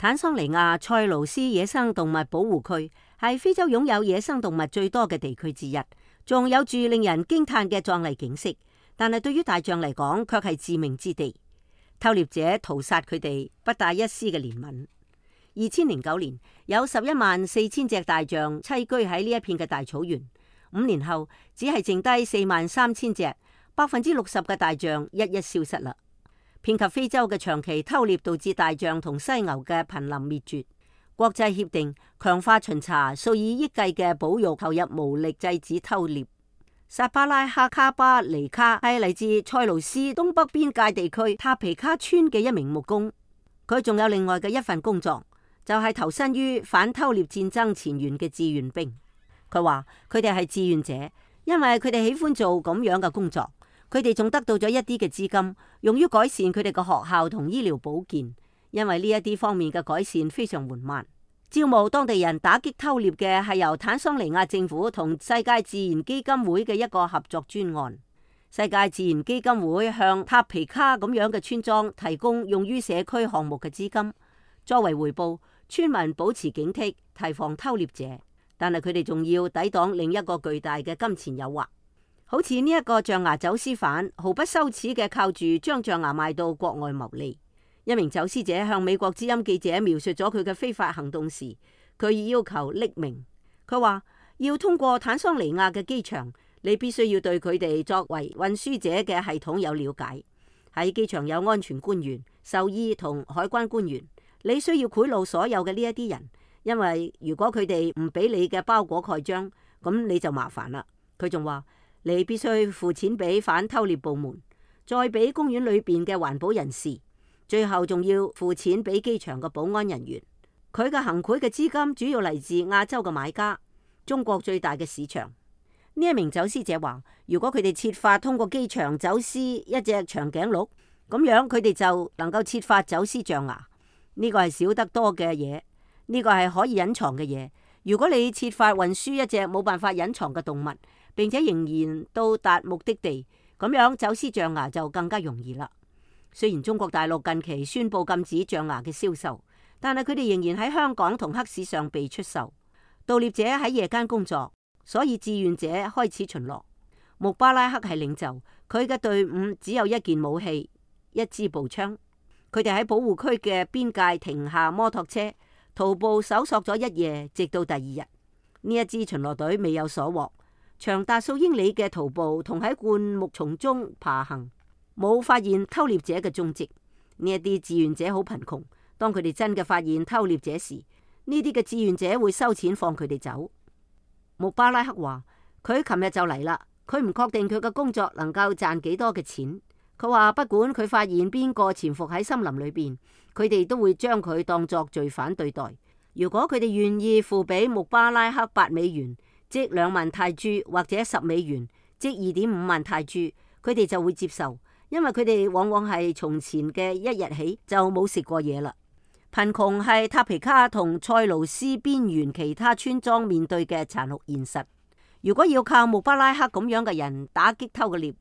坦桑尼亞塞盧斯野生動物保護區係非洲擁有野生動物最多嘅地區之一，仲有住令人驚嘆嘅壯麗景色。但係對於大象嚟講，卻係致命之地。偷獵者屠殺佢哋，不帶一絲嘅憐憫。2009年有114000隻大象棲居喺呢一片嘅大草原，5年後只係剩低43000隻，60%嘅大象一一消失啦。遍及非洲嘅長期偷獵導致大象同犀牛嘅瀕臨滅絕。國際協定強化巡查，數以億計嘅保育投入無力制止偷獵。薩巴拉克卡巴尼卡係嚟自塞盧斯東北邊界地區塔皮卡村嘅一名木工，佢仲有另外嘅一份工作，就係投身於反偷獵戰爭前線嘅志願兵。佢話佢哋係志願者，因為佢哋喜歡做咁樣嘅工作。佢哋仲得到咗一啲嘅資金，用於改善佢哋嘅學校同醫療保健，因為呢一啲方面嘅改善非常緩慢。招募當地人打擊偷獵嘅係由坦桑尼亞政府同世界自然基金會嘅一個合作專案。世界自然基金會向塔皮卡咁樣嘅村莊提供用於社區項目嘅資金，作為回報，村民保持警惕，提防偷獵者。但係佢哋仲要抵擋另一個巨大嘅金錢誘惑。好似呢一個象牙走私犯，毫不羞恥嘅靠住將象牙賣到國外牟利。一名走私者向美國之音記者描述咗佢嘅非法行動時，佢要求匿名。佢話要通過坦桑尼亞嘅機場，你必須要對佢哋作為運輸者嘅系統有了解。喺機場有安全官員、獸醫同海關官員，你需要賄賂所有嘅呢一啲人，因為如果佢哋唔俾你嘅包裹蓋章，咁你就麻煩啦。佢仲話你必須付錢俾反偷獵部門，再俾公園裏邊嘅環保人士，最後仲要付錢俾機場嘅保安人員。佢嘅行賄嘅資金主要嚟自亞洲嘅買家，中國最大嘅市場。呢一名走私者話，如果佢哋設法通過機場走私一隻長頸鹿，咁樣佢哋就能夠設法走私象牙。呢個係少得多嘅嘢，呢個係可以隱藏嘅嘢。如果你設法運輸一隻冇辦法隱藏嘅動物，並且仍然到達目的地，咁樣走私象牙就更加容易啦。雖然中國大陸近期宣布禁止象牙嘅銷售，但係佢哋仍然喺香港同黑市上被出售。盜獵者喺夜間工作，所以志願者開始巡邏。穆巴拉克係領袖，佢嘅隊伍只有一件武器，一支步槍。佢哋喺保護區嘅邊界停下摩托車，徒步搜索咗一夜，直到第二日。呢一支巡邏隊未有所獲。長達數英里嘅徒步同喺灌木叢中爬行，冇發現偷獵者嘅蹤跡。呢一啲志願者好貧窮，當佢哋真嘅發現偷獵者時，呢啲嘅志願者會收錢放佢哋走。穆巴拉克話佢琴日就嚟啦，佢唔確定佢嘅工作能夠賺幾多嘅錢。佢話不管佢發現邊個潛伏喺森林裏邊，佢哋都會將佢當作罪犯對待。如果佢哋願意付俾穆巴拉克8美元，即2萬泰銖，或者10美元，即2.5萬泰銖，佢哋就會接受，因為佢哋往往係從前嘅一日起就冇食過嘢啦。貧窮係塔皮卡同塞盧斯邊緣其他村莊面對嘅殘酷現實。如果要靠穆巴拉克咁樣嘅人打擊偷嘅獵，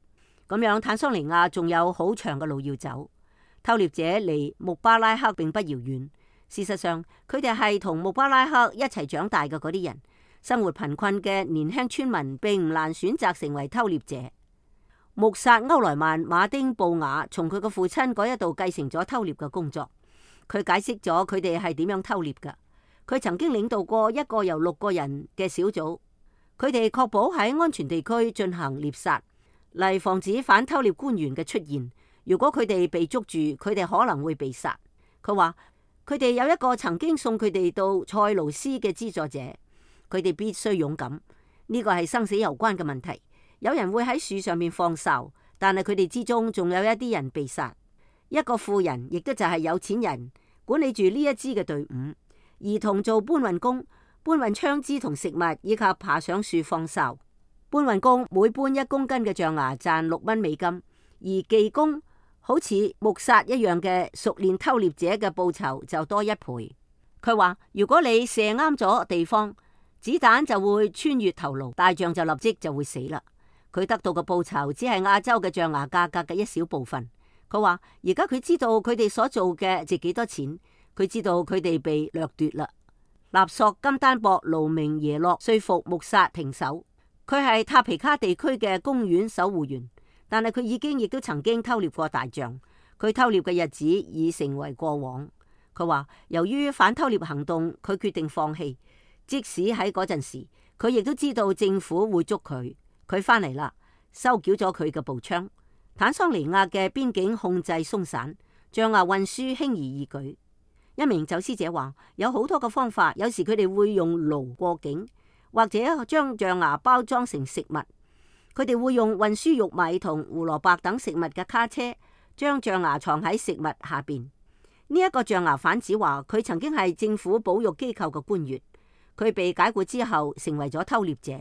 咁樣坦桑尼亞仲有好長嘅路要走。偷獵者離穆巴拉克並不遙遠，事實上佢哋係同穆巴拉克一齊長大嘅嗰啲人。生活貧困嘅年輕村民並唔難選擇成為偷獵者。穆薩歐萊曼馬丁布雅從佢嘅父親嗰一度繼承咗偷獵嘅工作。佢解釋咗佢哋係點樣偷獵㗎。佢曾經領導過一個由6個人嘅小組，佢哋確保喺安全地區進行獵殺，嚟防止反偷獵官員嘅出現。如果佢哋被捉住，佢哋可能會被殺。佢話佢哋有一個曾經送佢哋到塞盧斯嘅資助者。佢哋必須勇敢，呢個係生死攸關嘅問題。有人會喺樹上面放哨，但係佢哋之中仲有一啲人被殺。一個富人，亦都就係有錢人，管理住呢一支嘅隊伍。兒童做搬運工，搬運槍支同食物，以及爬上樹放哨。搬運工每搬1公斤嘅象牙賺6蚊美金，而技工好似穆薩一樣嘅熟練偷獵者嘅報酬就多1倍。佢話如果你射啱咗地方，子彈就會穿越頭顱，大象就立即就會死啦。佢得到嘅報酬只係亞洲嘅象牙價格嘅一小部分。佢話而家佢知道佢哋所做嘅值幾多錢，佢知道佢哋被掠奪啦。納索金丹博盧明耶洛說服穆薩停手。佢係塔皮卡地區嘅公園守護員，但係佢亦都曾經偷獵過大象。佢偷獵嘅日子已成為過往。佢話由於反偷獵行動，佢決定放棄。即使喺嗰陣時，佢亦都知道政府會捉佢。佢返嚟啦，收繳咗佢嘅步槍。坦桑尼亞嘅邊境控制鬆散，象牙運輸輕而易舉。一名走私者話有好多嘅方法，有時佢哋會用驢過境，或者將象牙包裝成食物。佢哋會用運輸玉米同胡蘿蔔等食物嘅卡車，將象牙藏喺食物下邊。呢一個象牙販子話佢曾經係政府保育機構嘅官員，佢被解雇之後成為咗偷獵者。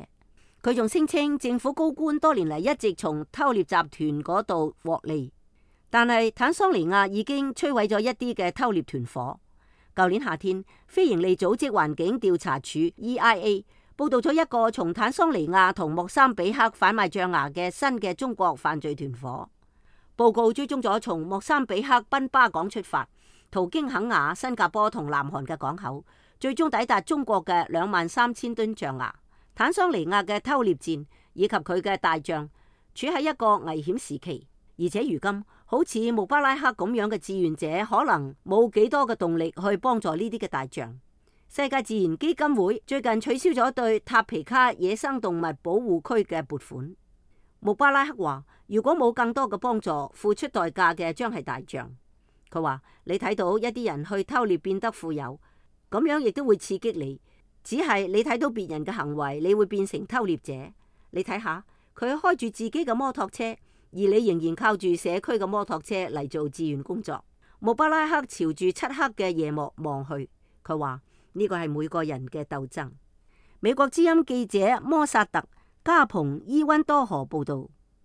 佢仲聲稱政府高官多年嚟一直從偷獵集團嗰度獲利。但係坦桑尼亞已經摧毀咗一啲嘅偷獵團伙。舊年夏天，非營利組織環境調查處 EIA 報道咗一個從坦桑尼亞同莫桑比克販賣象牙嘅新嘅中國犯罪團伙。報告追蹤咗從莫桑比克賓巴港出發，途經肯亞、新加坡同南韓嘅港口，最終抵達中國嘅23,000噸象牙。坦桑尼亞嘅偷獵戰以及佢嘅大象處喺一個危險時期，而且如今好似穆巴拉克咁樣嘅志願者可能冇幾多嘅動力去幫助呢啲嘅大象。世界自然基金會最近取消咗對塔皮卡野生動物保護區嘅撥款。穆巴拉克話如果冇更多嘅幫助，付出代價嘅將係大象。佢話你睇到一啲人去偷獵變得富有，咁樣亦都會刺激你。只係你睇到別人嘅行為，你會變成偷獵者。你睇下佢開住自己嘅摩托車，而你仍然靠住社區嘅摩托車嚟做志願工作。穆巴拉克朝住漆黑嘅夜幕望去，佢話呢個係每個人嘅鬥爭。美國之音記者摩薩特加蓬伊溫多河報道。